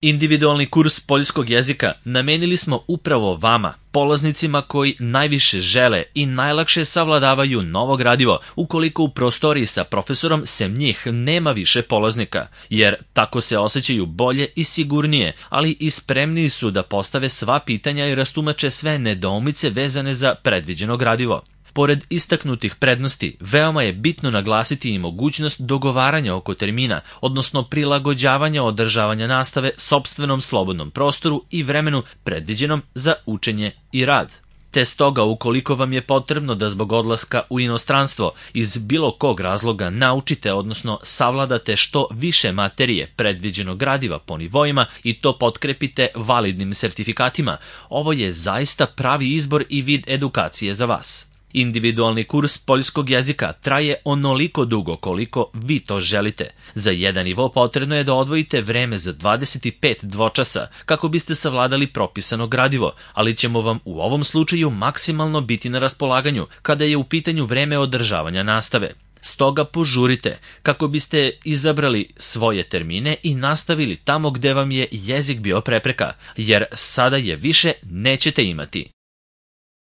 Individualni kurs poljskog jezika namenili smo upravo vama, polaznicima koji najviše žele i najlakše savladavaju novo gradivo ukoliko u prostoriji sa profesorom sem njih nema više polaznika, jer tako se osjećaju bolje i sigurnije, ali i spremniji su da postave sva pitanja i rastumače sve nedoumice vezane za predviđeno gradivo. Pored istaknutih prednosti, veoma je bitno naglasiti i mogućnost dogovaranja oko termina, odnosno prilagođavanja održavanja nastave sopstvenom slobodnom prostoru i vremenu predviđenom za učenje i rad. Te stoga, ukoliko vam je potrebno da zbog odlaska u inostranstvo iz bilo kog razloga naučite, odnosno savladate što više materije predviđenog gradiva po nivoima i to potkrepite validnim sertifikatima, ovo je zaista pravi izbor i vid edukacije za vas. Individualni kurs poljskog jezika traje onoliko dugo koliko vi to želite. Za jedan nivo potrebno je da odvojite vreme za 25 dvočasa kako biste savladali propisano gradivo, ali ćemo vam u ovom slučaju maksimalno biti na raspolaganju kada je u pitanju vreme održavanja nastave. Stoga požurite kako biste izabrali svoje termine i nastavili tamo gde vam je jezik bio prepreka, jer sada je više nećete imati.